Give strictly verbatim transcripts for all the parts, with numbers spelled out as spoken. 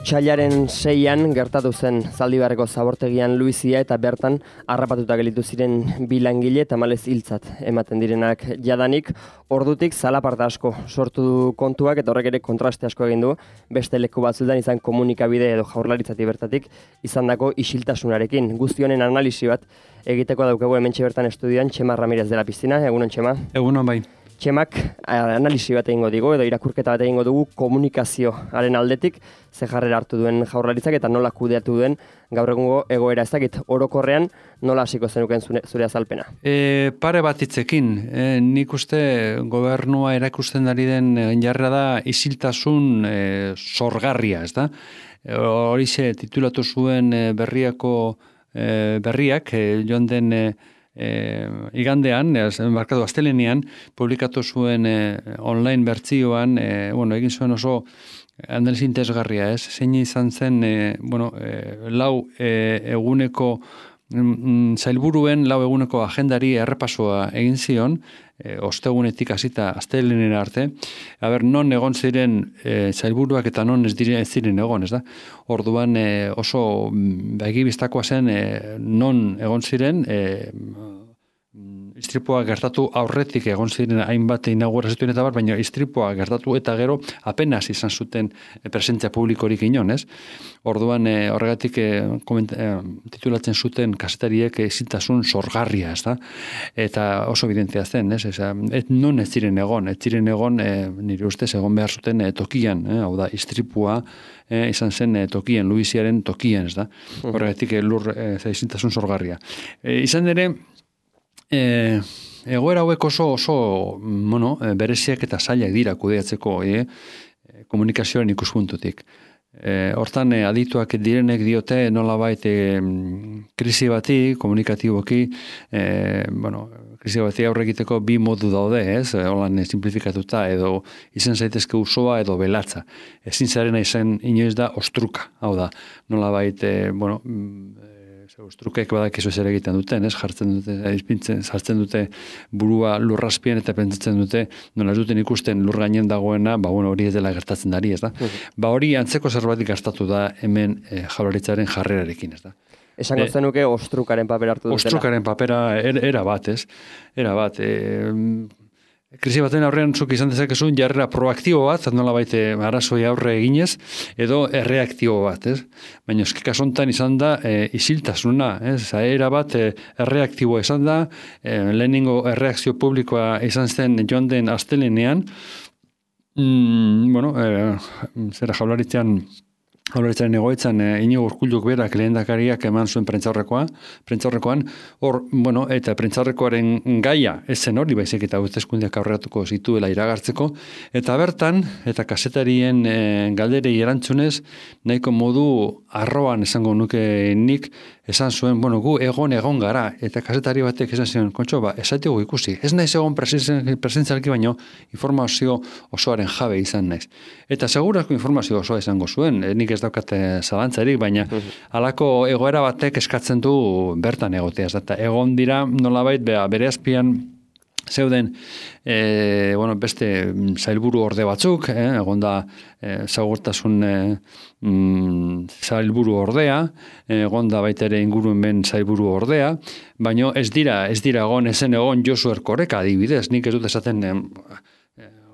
Otsailaren seian gertatu zen Zaldibarreko zabortegian Luizia eta bertan harrapatuta gelditu ziren bi langile tamalez hiltzat ematen direnak jadanik. Ordutik zalaparta asko sortu du kontuak eta horrek ere kontraste asko egin du beste leku batzuetan izan komunikabide edo jaurlaritzatik bertatik izandako isiltasunarekin. Guzti honen analisi bat egiteko daukagu hementxe bertan estudioan Txema Ramirez de la Piscina. Egunon, Txema. Egunon, bai. Txemak analisi bat egingo digu edo irakurketa bat egingo dugu komunikazioaren aldetik ze jarrera hartu duen jaurlaritzak eta nola kudeatu duen gaur egungo egoera. Ez dakit orokorrean nola hasiko zenuken zure azalpena? E, pare bat hitzekin, e, nik uste gobernua erakusten ari den jarrera da isiltasun e, sorgarria, ez da? E, horixe titulatu zuen e, berriako e, berriak, e, joan den e, E, igandean, markatu astelenean, publikatu zuen e, online bertzioan, e, bueno, egin zuen oso analiz interesgarria, ez? Zein izan zen, e, bueno, e, lau e, eguneko mm, zailburuen, lau eguneko agendari errepasoa egin zion, e, ostegunetik hasita astelenera arte, aber, non egon ziren e, zailburuak eta non ez diren ez ziren egon, ez da? Orduan e, oso begibistakoa zen e, non egon ziren, e, istripua gertatu aurretik egon ziren hainbat inaugurazioen eta bar, baina istripua gertatu eta gero apenas izan zuten presentzia publikorik inon, ez? Orduan e, horregatik e, koment, e, titulatzen zuten kazetariek isiltasun sorgarria, ez da? Eta oso evidentea zen, ez? Eza, et non ez ziren egon, ez ziren egon e, nire ustez egon behar zuten e, tokian, e, hau da, istripua e, izan zen e, tokian, Luiziaren tokian, ez da? Horregatik e, lur e, isiltasun sorgarria. E, izan ere, E, egoera hauek oso, oso bueno, bereziak eta zailak dira kudeatzeko e, komunikazioaren ikuspuntutik. E, hortan e, adituak direnek diote nolabait e, krisi bati, komunikatiboki, e, bueno, krisi bati aurre egiteko bi modu daude, ez? Holan simplifikatuta edo izan zaitezke usoa edo belatza. Ezin zarena izan inoiz da ostruka, hau da, nolabait, e, bueno, ostrukek badakizu zer egiten duten, ez? Jartzen dute, izpintzen, sartzen dute burua lurrazpian eta pentsatzen dute, nola ez duten ikusten lur gainen dagoena, ba bueno, hori ez dela gertatzen dari, ez da? Uh-huh. Ba hori antzeko zerbait gertatu da hemen e, jaurlaritzaren jarrerarekin, ez da? Esango zenuke ostrukaren papera hartu dutela. Ostrukaren papera er, era bat, ez? Era bat, e, krisi baten aurrean zuk izan dezakezu jarrera proaktibo bat, nola baite arazoi aurre eginez, edo erreaktibo bat, ez? Baina eski kasontan izan da e, isiltasuna, ez? Era bat e, erreaktiboa izan da, e, lehenengo erreakzio publikoa izan zen joan den astelenean, mm, bueno, e, zera jaularitzean, Jaurlaritzaren egoitzan e, Inigo Urkulluk berak lehendakariak eman zuen prentzaurrekoa, prentzaurrekoan, hor, bueno, eta prentzaurrekoaren gaia ez zen hori, baizik eta hauteskundeak aurreratuko zituela iragartzeko, eta bertan, eta kasetarien e, galderei erantzunez, nahiko modu arroan esango nuke nik, esan zuen, bueno, gu egon egon gara, eta kasetari batek esan zion, kontxo, ba, esatiko ikusi, ez naiz egon presentzialki baino informazio osoaren jabe izan naiz. Eta segurazko informazio osoa izango zuen, nik ez daukate zalantzarik, baina halako egoera batek eskatzen du bertan egotea, eta egon dira nolabait bere azpian zeuden e, bueno, beste zailburu orde batzuk, eh, egon da e, zaurtasun e, mm, zailburu ordea, egon da baita ere ingurumen zailburu ordea, baina ez dira, ez dira egon, ezen egon Josu Erkoreka adibidez, nik ez dut esaten e,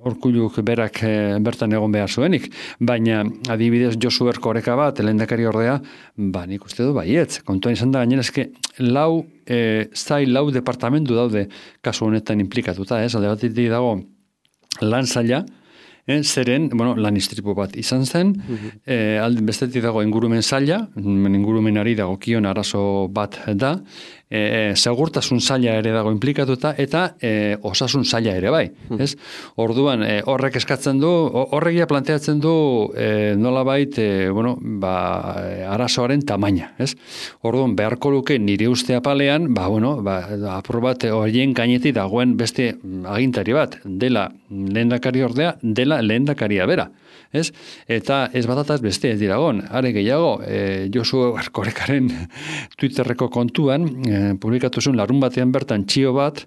Urkulluk berak e, bertan egon behar zuenik, baina adibidez Josu Erkoreka bat, lehendakari ordea, ba nik uste du baietz. Kontuan izan da gainera eske lau e, zail lau departamentu daude kasu honetan implikatuta, ez? Alde batetik dago lan zaila, eh, zeren, bueno, lan istripu bat izan zen, uh-huh. e, alde bestetik dago ingurumen zaila, ingurumenari dagokion arazo bat da, E, segurtasun zaila ere dago implikatuta eta e, osasun zaila ere bai, ez? Orduan e, horrek eskatzen du, horregia planteatzen du e, nolabait, e, bueno, ba, arazoaren tamaina, ez? Orduan beharko luke nire uste apalean, ba, bueno, ba, apur bat horien gainetik dagoen beste agintari bat, dela lehendakari ordea, dela lehendakaria bera. Ez? Eta ez batataz beste ez diragon. Are gehiago, e, Josu Erkorekaren Twitterreko kontuan, e, publikatu zuen larun batean bertan txio bat,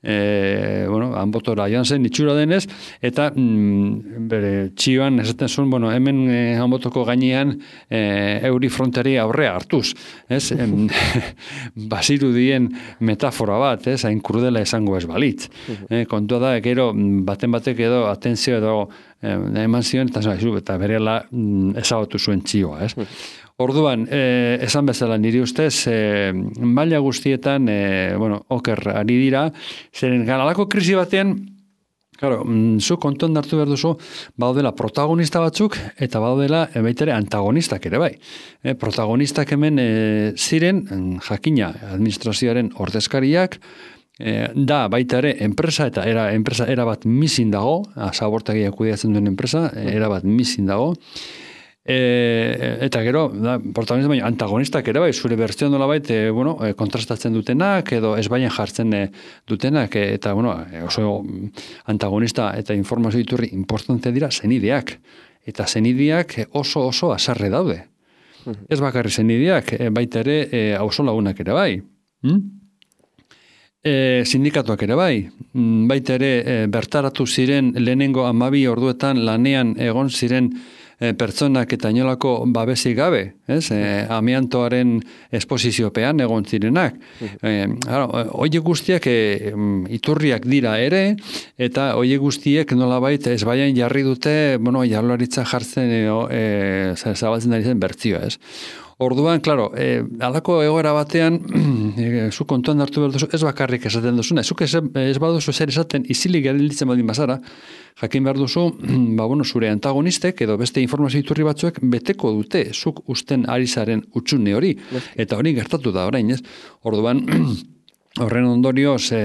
e, bueno, hanbotora joan zen itxura denez, eta mm, bere txioan esaten zuen, bueno, hemen e, hanbotoko gainean e, euri frontari aurrea hartuz, ez? Em, basiru dien metafora bat, ez? Hain krudela esango ez balitz. E, kontua da, gero, baten batek edo atentzio edo e, eman zion, eta, eta berela mm, ezabatu zuen txioa, ez? Orduan, eh, esan bezala niri ustez, eh, maila guztietan, eh, bueno, oker ari dira, zeren ganalako krisi batean, claro, mm, zu kontuan hartu behar duzu, baudela protagonista batzuk, eta baudela e, baitere antagonistak ere bai. E, protagonistak hemen e, ziren, jakina administrazioaren ordezkariak, e, da baita ere enpresa, eta era, enpresa erabat misin dago, zabortegiak kudeatzen duen enpresa, erabat misin dago, E, eta gero, da, protagonista baina antagonistak ere bai, zure bertzioan dola bait, e, bueno, e, kontrastatzen dutenak, edo ez baina jartzen e, dutenak, e, eta bueno, e, oso antagonista eta informazio iturri importante dira zenideak. Eta zenideak oso oso asarre daude. Uh-huh. Ez bakarri zenideak, e, baita ere, e, auzo lagunak ere bai. Hmm? E, sindikatuak ere bai. Baita ere, e, bertaratu ziren lehenengo hamabi orduetan lanean egon ziren E, pertsonak eta inolako babesik gabe, ez? E, amiantoaren esposiziopean egon zirenak. E, Oie guztiak e, iturriak dira ere, eta oie guztiek nolabait ez baian jarri dute, bueno, jarlaritza jartzen e, e, zabaltzen ari zen bertzioa, ez? Orduan, klaro, e, alako egoera batean, e, zu kontuan hartu behar duzu, ez bakarrik esaten duzuna, zuk ez, ez baduzu zer esaten, izilik gelditzen baldin bazara, jakin behar duzu, ba, bueno, zure antagonistek edo beste informazio iturri batzuek beteko dute, zuk usten ari zaren utxune hori, eta hori gertatu da orain, ez? Orduan, horren ondorioz, e,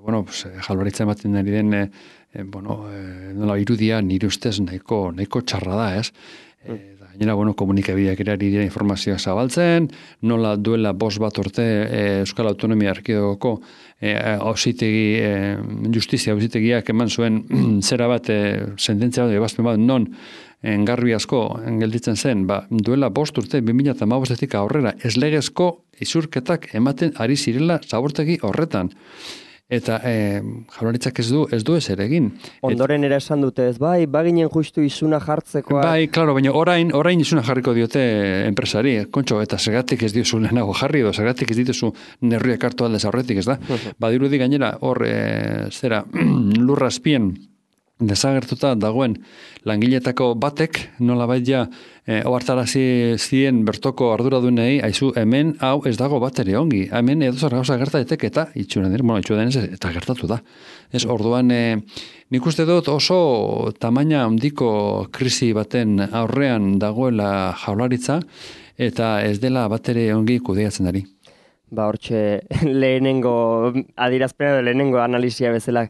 bueno, pues, jalbaritza ematen ari den, e, e, bueno, e, nola irudia nire ustez nahiko, nahiko txarra da, ez? E, Gainera, bueno, komunikabideak ere ari dira informazioa zabaltzen, nola duela bost bat urte e, Euskal Autonomia Erkidegoko e, auzitegi, e, justizia auzitegiak eman zuen zera bat, e, sententzia bat, ebazpen bat, non engarbi asko gelditzen zen, ba, duela bost urte, bi mila hamabostetik aurrera, ez legezko izurketak ematen ari zirela zabortegi horretan. Eta e, jaurlaritzak ez du ez du ezer egin. Ondoren ere esan dute ez, bai, baginen justu izuna jartzekoa. Bai, claro, baina orain, orain izuna jarriko diote enpresari, kontxo, eta zergatik ez diozu lehenago jarri, edo zergatik ez dituzu neurriak hartu aldez aurretik, ez da? Badirudi gainera, hor, e, zera, lurrazpien desagertuta dagoen langiletako batek, nola bait ja, e, ohartarazi zien bertoko arduradunei, aizu, hemen hau ez dago bat ere ongi, hemen edo zer gauza gerta daiteke eta itxuran dira, bueno, itxuran ez, eta gertatu da. Ez, orduan, e, nik uste dut oso tamaina handiko krisi baten aurrean dagoela jaurlaritza, eta ez dela bat ere ongi kudeatzen ari. Ba, hortxe, lehenengo adirazpena, lehenengo analizia bezala,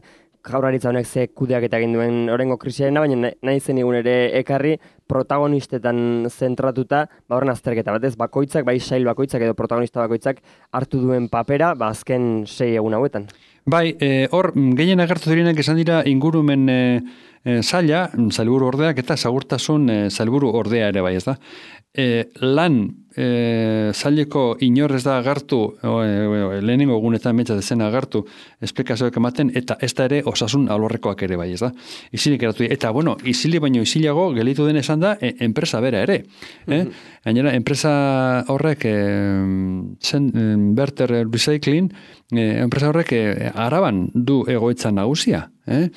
jaurlaritza honek ze kudeaketa egin duen orengo krisiarena, baina nahi zen egun ere ekarri protagonistetan zentratuta, ba horren azterketa batez, bakoitzak, bai sail bakoitzak edo protagonista bakoitzak hartu duen papera, ba azken sei egun hauetan. Bai, e, hor, gehien agertu direnak esan dira ingurumen e, e, saila, sailburu ordeak eta segurtasun e, sailburu ordea ere bai, ez da. E, lan e, saileko inor ez da agertu, o, e, lehenengo egunetan metza dezena agertu, esplikazioak ematen, eta ez da ere osasun alorrekoak ere bai, ez da. Isilik eratu, eta bueno, isili baino isilago gelitu den esan da, e, enpresa bera ere. Eh? Gainera, enpresa horrek, e, zen, e, Berter Recycling, e, enpresa horrek e, araban du egoitza nagusia. Eh?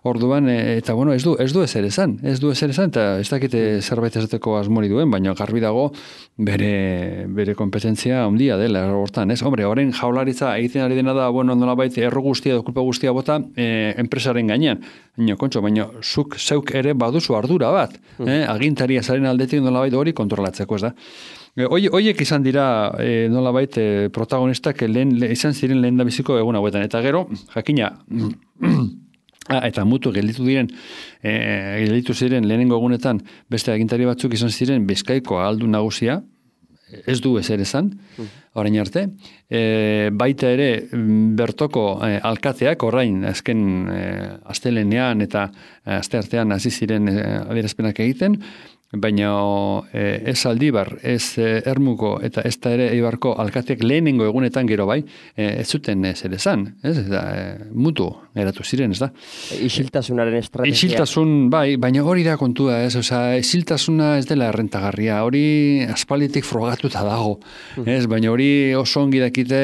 Orduan, e, eta bueno, ez du, ez du ezer esan, ez du ezer esan, eta ez dakite zerbait esateko asmori duen, baina garbi dago bere, bere kompetentzia handia dela hortan, ez? Hombre, horren jaurlaritza egiten ari dena da, bueno, nolabait erro guztia edo kulpa guztia bota e, enpresaren gainean. Baina, kontxo, baina zuk zeuk ere baduzu ardura bat, eh? Agintaria zaren aldetik nolabait hori kontrolatzeko, ez da? Oiek izan dira e, nolabait e, protagonistak lehen, le, izan ziren lehen da biziko egun hauetan. Eta gero, jakina, ah, eta mutu gelditu diren, e, gelditu ziren lehenengo egunetan beste agintari batzuk izan ziren Bizkaiko aldu nagusia, ez du ezer esan, orain arte. E, baita ere bertoko e, alkateak orain azken e, astelenean eta asteartean hasi ziren e, adierazpenak egiten, baina e, ez Aldibar, ez e, Ermuko eta ez da ere Eibarko alkateak lehenengo egunetan gero bai, e, ez zuten zer esan, ez, eta e, mutu geratu ziren, ez da. Isiltasunaren estrategia. Isiltasun, bai, baina hori da kontua, ez, oza, isiltasuna ez dela errentagarria, hori aspalditik frogatuta dago, ez, baina hori oso ongi dakite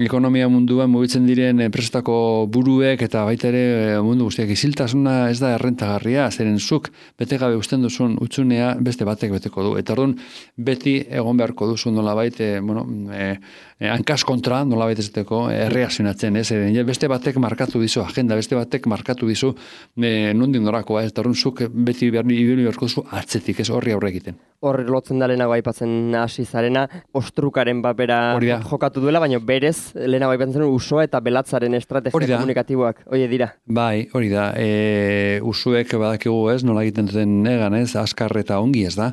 ekonomia munduan mugitzen diren enpresetako buruek eta baita ere mundu guztiak isiltasuna ez da errentagarria, zeren zuk bete gabe usten duzun utxunea beste batek beteko du. Eta orduan beti egon beharko duzu nolabait, e, bueno, e, e, hankas kontra nolabait ezteko erreakzionatzen, ez? E, beste batek markatu dizu agenda, beste batek markatu dizu e, nondin norakoa, ez? Eta orduan zuk beti ibili beharko duzu atzetik, ez horri aurre egiten. Horri lotzen da lehenago aipatzen hasi zarena, ostrukaren papera jokatu duela, baina berez lehenago aipatzen zen usoa eta belatzaren estrategia komunikatiboak, oie dira. Bai, hori da, e, usuek badakigu ez, nola egiten duten negan ez, askar eta ongi ez da,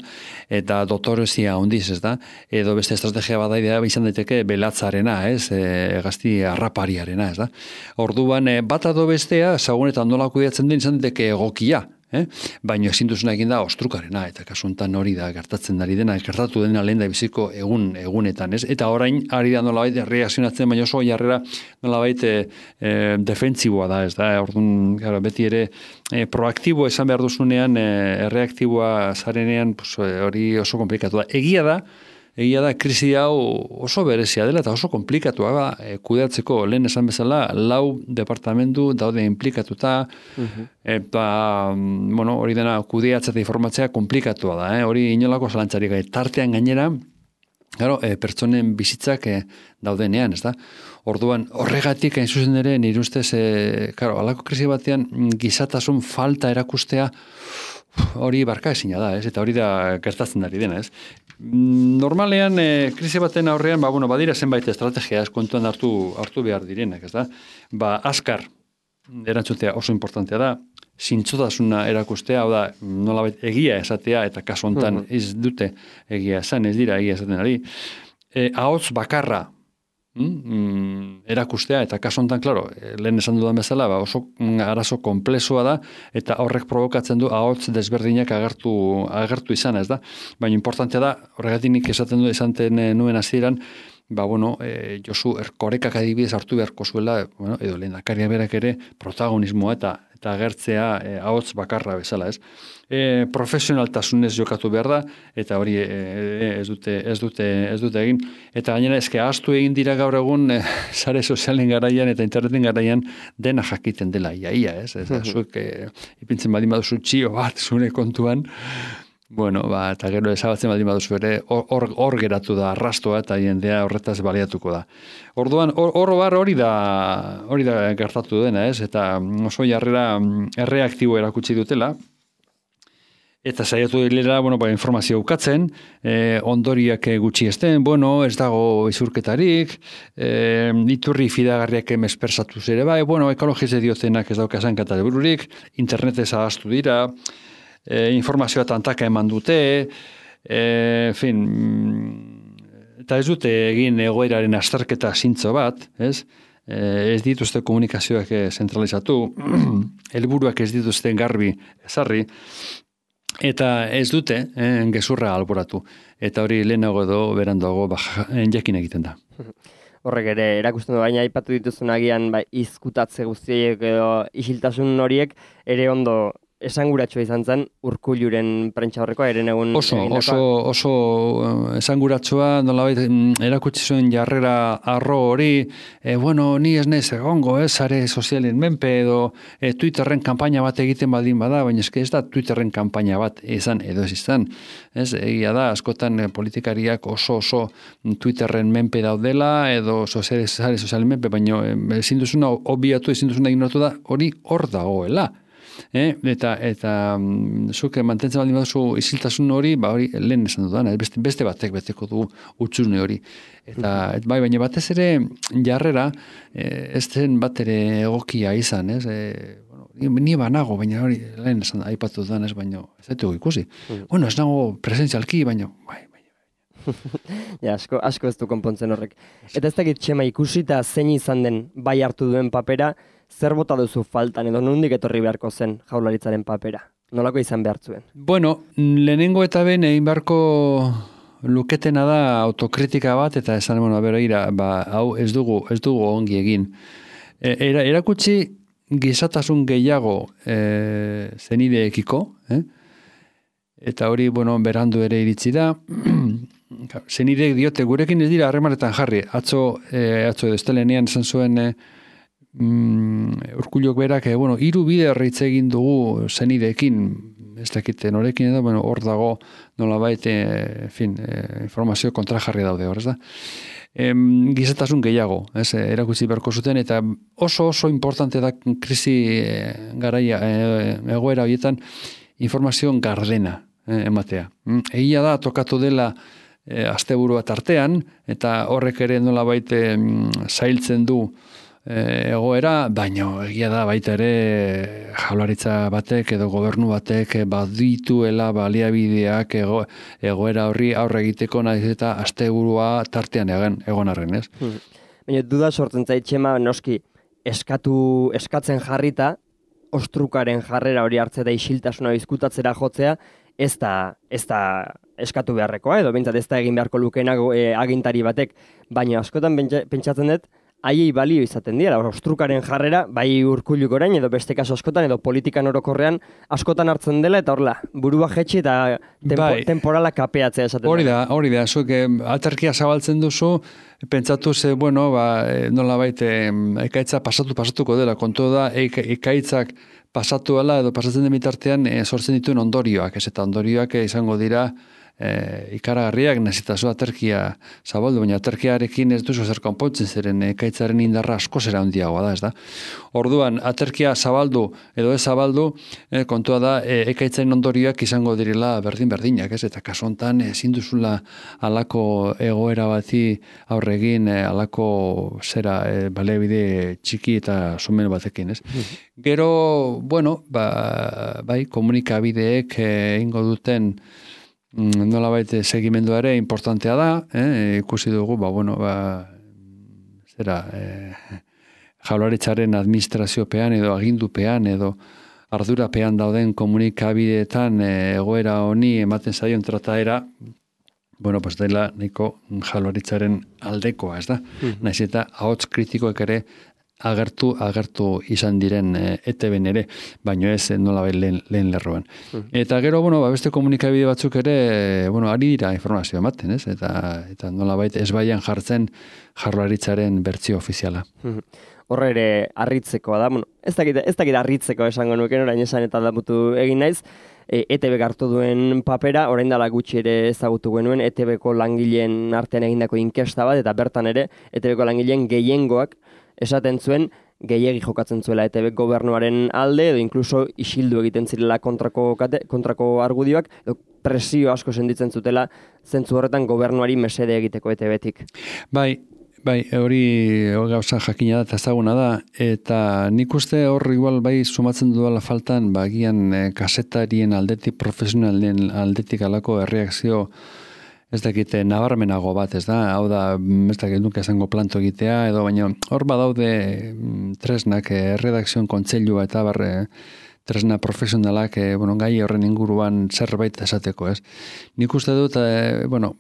eta dotorezia ondiz ez da, edo beste estrategia badaidea izan daiteke belatzarena ez, e, gazti arrapariarena ez da. Orduan, e, bat ado bestea, zagunetan nola kudeatzen den izan daiteke egokia, Eh? Baina ezin duzuna egin da ostrukarena, eta kasuntan hori da gertatzen ari dena, gertatu dena lehen da biziko egun, egunetan, ez? Eta orain ari da nolabait reakzionatzen, baina oso jarrera nolabait e, e, defentsiboa da, ez da? Orduan, gara, beti ere e, proaktibo esan behar duzunean, e, reaktiboa zarenean, pues, hori oso komplikatu da. Egia da, Egia da, krisi hau oso berezia dela eta oso komplikatua da, e, kudeatzeko lehen esan bezala, lau departamentu daude implikatuta, uh-huh. eta, bueno, hori dena kudeatzea eta informatzea komplikatua da, eh? Hori inolako zalantzarik, tartean gainera, claro, e, pertsonen bizitzak e, daudenean, ez da? Orduan, horregatik hain zuzen ere, nire ustez, e, claro, alako krisi batean, gizatasun falta erakustea, hori barka ezina da, ez? Eta hori da gertatzen ari dena, ez? Normalean, e, krisi baten aurrean, ba, bueno, badira zenbait estrategia, ez kontuan hartu, hartu behar direnak, ez da? Ba, askar, erantzutea oso importantea da, zintzotasuna erakustea, hau da, nolabait egia esatea, eta kasu hontan ez dute egia esan, ez dira egia esaten ari. E, ahots bakarra, Mm, erakustea, eta kasu honetan, klaro, lehen esan dudan bezala, ba, oso arazo komplexua da, eta horrek provokatzen du ahots desberdinak agertu, agertu izan, ez da? Baina importantea da, horregatik nik esaten du esanten nuen hasieran, ba, bueno, e, Josu Erkorekak adibidez hartu beharko zuela, bueno, edo lehendakaria berak ere protagonismoa eta eta agertzea e, ahots bakarra bezala, ez? E, profesionaltasunez jokatu behar da, eta hori e, e, ez dute ez dute ez dute egin, eta gainera eske ahaztu egin dira gaur egun e, sare sozialen garaian eta interneten garaian dena jakiten dela iaia, ez? Ez da zuek e, ipintzen baldin baduzu txio bat zure kontuan, bueno, ba, eta gero ezabatzen baldin baduzu ere, hor, hor geratu da arrastoa eta jendea horretaz baliatuko da. Orduan, hor bar hori da, hori da gertatu dena, ez? Eta oso jarrera erreaktibo erakutsi dutela, eta saiatu dilera, bueno, ba, informazio ukatzen, eh, ondoriak gutxi esten, bueno, ez dago izurketarik, eh, iturri fidagarriak mespersatu ere bai, bueno, ekologize diozenak ez daukasan katabururik, internetez ahaztu dira, E, informazioa tantaka eman dute, e, en fin, eta ez dute egin egoeraren azterketa zintzo bat, ez? E, ez dituzte komunikazioak zentralizatu, helburuak ez dituzte garbi ezarri, eta ez dute eh, gezurra alboratu. Eta hori lehenago edo berandago jakin egiten da. Horrek ere, erakusten du, baina aipatu dituzun agian bai, izkutatze guztiek edo isiltasun horiek ere ondo esanguratsua izan zen Urkulluren prentsaurrekoa eren egun oso oso oso esanguratsua nolabait erakutsi zuen jarrera arro hori, e, bueno, ni ez naiz egongo, ez sare sozialen menpe edo e, Twitterren kanpaina bat egiten baldin bada, baina eske ez da Twitterren kanpaina bat izan edo ez izan. Ez, egia da askotan e, politikariak oso oso Twitterren menpe daudela edo sare sozialen menpe, baina e, ezin duzuna obviatu, ezin duzuna ignoratu da hori hor dagoela. Eh, eta eta um, zuke mantentzen baldin baduzu isiltasun hori, ba hori lehen esan dudana, beste, beste batek beteko du utxune hori. Eta et, bai, baina batez ere jarrera eh, ez zen bat ere egokia izan, ez? Eh, bueno, ni banago, baina hori lehen esan aipatu dudan, ez, baina ez dut ikusi. Mm. Bueno, ez nago presentzialki, baina bai, ja, asko, asko ez du konpontzen horrek. Eta ez dakit Txema ikusi eta zein izan den bai hartu duen papera, zer bota duzu faltan edo nondik etorri beharko zen Jaurlaritzaren papera? Nolako izan behar zuen? Bueno, lehenengo eta ben egin beharko luketena da autokritika bat, eta esan, bueno, bera, ira, ba, hau ez dugu, ez dugu ongi egin. E, era, erakutsi gizatasun gehiago e, zenideekiko, eh? Eta hori, bueno, berandu ere iritsi da. Zenideek diote, gurekin ez dira harremanetan jarri. Atzo, e, atzo edo estelenean esan zuen e, mm, Urkullok berak, e, bueno, hiru bide horreitze egin dugu zenideekin, ez dakite norekin edo, bueno, hor dago nolabait, e, fin, e, informazio kontrajarri daude hor, ez da? E, gizatasun gehiago, ez, erakutsi beharko zuten, eta oso oso importante da krisi e, garaia, e, egoera horietan, informazio gardena e, ematea. Egia da, tokatu dela e, asteburua tartean, eta horrek ere nolabait e, zailtzen du egoera, baina egia da baita ere jaularitza batek edo gobernu batek badituela baliabideak ego, egoera horri aurre egiteko naiz eta asteburua tartean egan, egon arren, ez? Hmm. Baina duda sortzen zait, Txema, noski eskatu, eskatzen jarrita, ostrukaren jarrera hori hartzea da isiltasuna bizkutatzera jotzea, ez da, ez da eskatu beharrekoa, edo behintzat ez da egin beharko lukenak e, agintari batek, baina askotan pentsatzen dut, haiei balio izaten dira, ostrukaren jarrera, bai Urkulluk orain, edo beste kaso askotan, edo politikan orokorrean askotan hartzen dela, eta horrela, burua jetxi eta tempo, bai, temporala kapeatzea esaten hori da. Hori da, zuek aterkia zabaltzen duzu, pentsatu ze, bueno, ba, nola baite, ekaitza pasatu pasatuko dela, kontu da, ekaitzak pasatu ala, edo pasatzen den bitartean, e, sortzen dituen ondorioak, ez eta ondorioak izango dira, E, ikaragarriak nazitazu aterkia zabaldu, baina aterkiarekin ez duzu zer konpontzen zeren ekaitzaren indarra asko zera handiagoa da, ez da? Orduan, aterkia zabaldu edo ez zabaldu, e, kontua da e, ekaitzaren ondorioak izango direla berdin-berdinak, ez? Eta kasu honetan ezin duzula halako egoera bati aurregin, e, halako zera e, baliabide txiki eta sumen batekin, ez? Gero, bueno, ba, bai, komunikabideek egingo duten nolabait segimenduare importantea da, eh? Ikusi dugu, ba, bueno, ba, zera, eh, jaularitzaren administraziopean edo agindupean edo ardurapean dauden komunikabideetan eh, egoera honi ematen zaion trataera, bueno, pues dela nahiko jaularitzaren aldekoa, ez da? Mm-hmm. Naiz eta ahots kritikoek ere agertu, agertu izan diren e, E T B-n ere, baino ez nolabait lehen, lehen lerroan. Mm. Eta gero, bueno, ba, beste komunikabide batzuk ere, bueno, ari dira informazioa ematen, ez? Eta, eta nolabait ez baian jartzen jaurlaritzaren bertsio ofiziala. Mm. Horre ere harritzekoa da, bueno, ez dakit, ez dakit harritzeko esango nuken, orain esan eta damutu egin naiz, E T B hartu duen papera, orain dela gutxi ere ezagutu genuen, E T B-ko langileen artean egindako inkesta bat, eta bertan ere, E T B-ko langileen gehiengoak esaten zuen, gehiegi jokatzen zuela E T B gobernuaren alde, edo inkluso isildu egiten zirela kontrako, kate, kontrako argudioak, edo presio asko senditzen zutela, zentzu horretan gobernuari mesede egiteko E T B-tik. Bai, bai, hori gauza jakina da eta ezaguna da, eta nik uste hor igual bai sumatzen duela faltan, bagian e, kasetarien aldetik, profesionalen aldetik alako erreakzio ez dakite nabarmenago bat, ez da, hau da, ez dakit nuke esango planto egitea, edo baina hor badaude tresnak, eh, redakzioen kontseilua eta barre, tresna profesionalak, eh, bueno, gai horren inguruan zerbait esateko, ez. Nik uste dut, eh, bueno,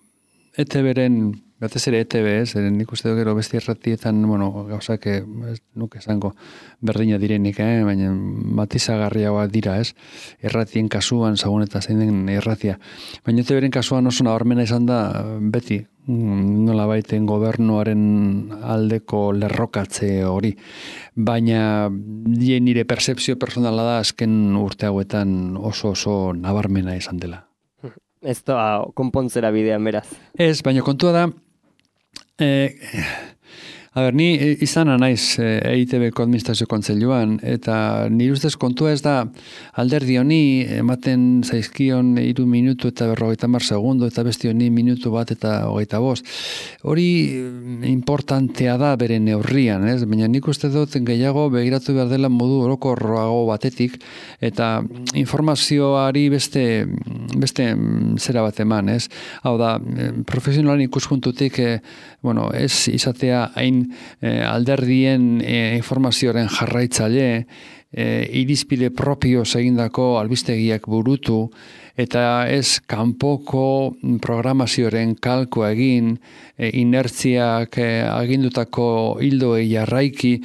E T B-ren, batez ere E T B, ez, nik uste dut gero besti erratietan, bueno, gauzak, ez nuke esango berdina direnik, eh, baina matizagarriagoa dira, ez, erratien kasuan, zagun eta zein den erratia. Baina E T B-ren kasuan oso nabarmena izan da, beti, nola baiten gobernuaren aldeko lerrokatze hori. Baina nire percepzio personala da azken urte hauetan oso oso nabarmena izan dela. Ez da konpontzera bidean beraz. Ez, baina kontua da, eh, a ber, ni izana naiz E I T B-ko administrazio kontseiluan, eta nire ustez kontua ez da alderdi honi ematen zaizkion hiru minutu eta berrogeita hamar segundo, eta beste honi minutu bat eta hogeita bost. Hori importantea da bere neurrian, ez? Baina nik uste dut gehiago begiratu behar dela modu orokorroago batetik, eta informazioari beste, beste zera bat eman, ez? Hau da, profesionalen ikuspuntutik, eh, bueno, ez izatea hain egin, e, alderdien e, informazioaren jarraitzaile, e, irizpide propio egindako albistegiak burutu, eta ez kanpoko programazioaren kalko egin, e, inertziak e, agindutako hildoei jarraiki,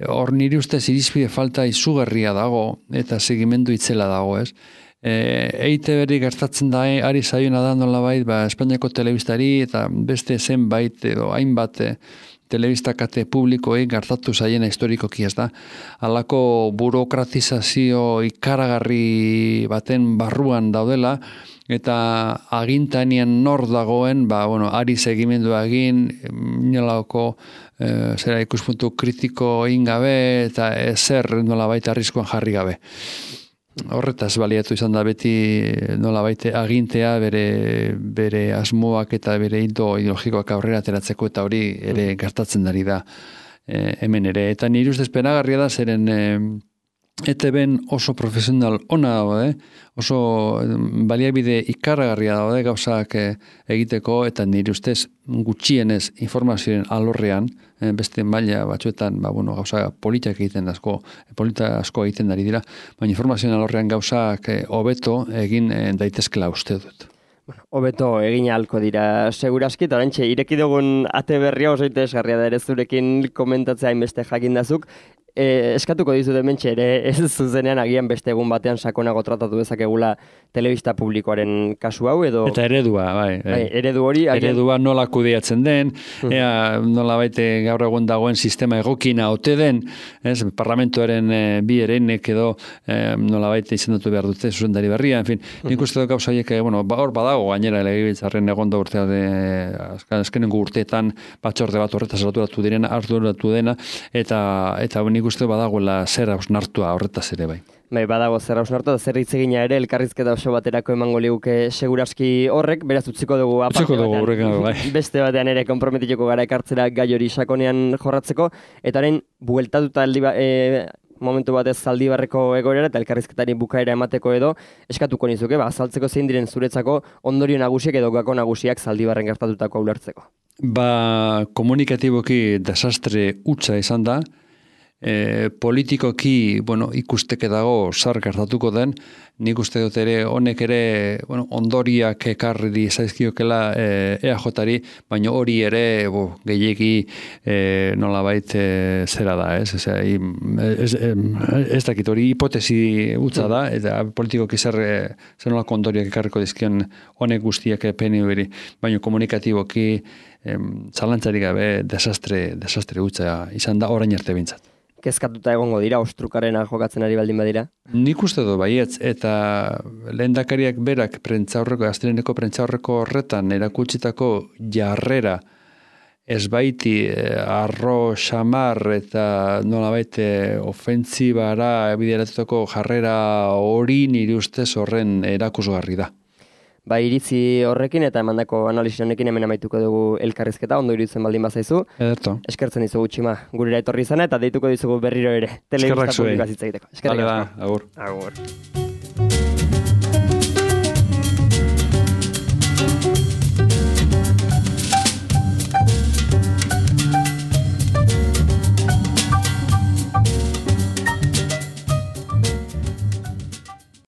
hor niri ustez irizpide falta izugarria dago, eta segimendu itzela dago, ez? E I T B gertatzen da, ari zaiona da nolabait, ba, Espainiako telebistari eta beste zenbait edo hainbat telebistakate publikoei gertatu zaiena historikoki, ez da. Halako burokratizazio ikaragarri baten barruan daudela, eta agintanien nor dagoen, ba, bueno, ari segimendu egin, nolako e, zera ikuspuntu kritiko egin gabe, eta ezer nolabait arriskuan jarri gabe. Horretaz baliatu izan da beti nolabait agintea bere, bere asmoak eta bere hildo ideologikoak aurrera ateratzeko, eta hori ere gertatzen dari da e, hemen ere. Eta nire ustez penagarria da zeren e, E T B oso profesional ona daude, oso baliabide ikaragarria daude gauzak egiteko, eta nire ustez gutxienez informazioen alorrean, beste maila batzuetan, ba, bueno, gauza politak egiten asko, polita asko egiten dari dira, baina informazioen alorrean gauzak hobeto egin daitezkela uste dut. Bueno, hobeto egin ahalko dira seguraski, eta orantxe ireki dugun ate berria oso interesgarria da ere zurekin komentatzea hainbeste jakindazuk. E, eskatuko dizut hementxe ere ez zuzenean agian beste egun batean sakonago tratatu dezakegula telebista publikoaren kasu hau edo... Eta eredua, bai. bai eredu hori... Agian... Eredua nola kudeatzen den, uh-huh. ea nola baite gaur egun dagoen sistema egokina ote den, ez, parlamentuaren e, bi ereinek edo e, nola baite izendatu behar dute zuzendari berria, en fin, nik uh-huh. uste dut gauza haiek, bueno, ba, hor badago gainera legebiltzarren egon da urtea de, azkenengo urteetan batzorde bat horretaz arduratu direna, arduratu dena, eta, eta nik uste badagoela zer hausnartua horretaz ere bai. Bai, badago zer hausnartua, zer hitz egina ere elkarrizketa oso baterako emango liguke seguraski horrek, beraz utziko dugu aparte utziko dugu horrekan, bai. Beste batean ere konprometituko gara ekartzera gai hori sakonean jorratzeko, eta haren bueltatuta aldi ba, e, momentu batez Zaldibarreko egoera eta elkarrizketari bukaera emateko edo eskatuko nizuke, ba, azaltzeko zein diren zuretzako ondorio nagusiak edo gako nagusiak Zaldibarren gertatutako ulertzeko. Ba, komunikatiboki desastre hutsa izan da, E, politikoki, bueno, ikusteke dago zar gertatuko den, nik uste dut ere honek ere, bueno, ondoriak ekarri zaizkiokela e, E A J-ari, baina hori ere bo, gehiegi e, nolabait e, zera da, ez? Ez, ez, ez dakit hori hipotesi utza da, eta politikoki zer, zer nolako ondoriak ekarriko dizkion honek guztiak P N V-ri, baina komunikatiboki em, zalantzarik gabe desastre, desastre utza izan da orain arte bintzat. Kezkatuta egongo dira, ostrukarena jokatzen ari baldin badira? Nik uste du baietz, eta lehendakariak berak prentzaurreko, astreneko prentzaurreko horretan erakutsitako jarrera ez baiti arro xamar eta nolabait ofentsibara bideratutako jarrera hori nire ustez horren erakusgarri da. Ba, iritzi horrekin eta emandako analisi honekin hemen amaituko dugu elkarrizketa, ondo iruditzen baldin bazaizu. Ederto. Eskertzen dizugu Txima, gurera etorri izana eta deituko dizugu berriro ere. Telebista publikoaz hitz egiteko. Eskerrik asko. Agur. Agur.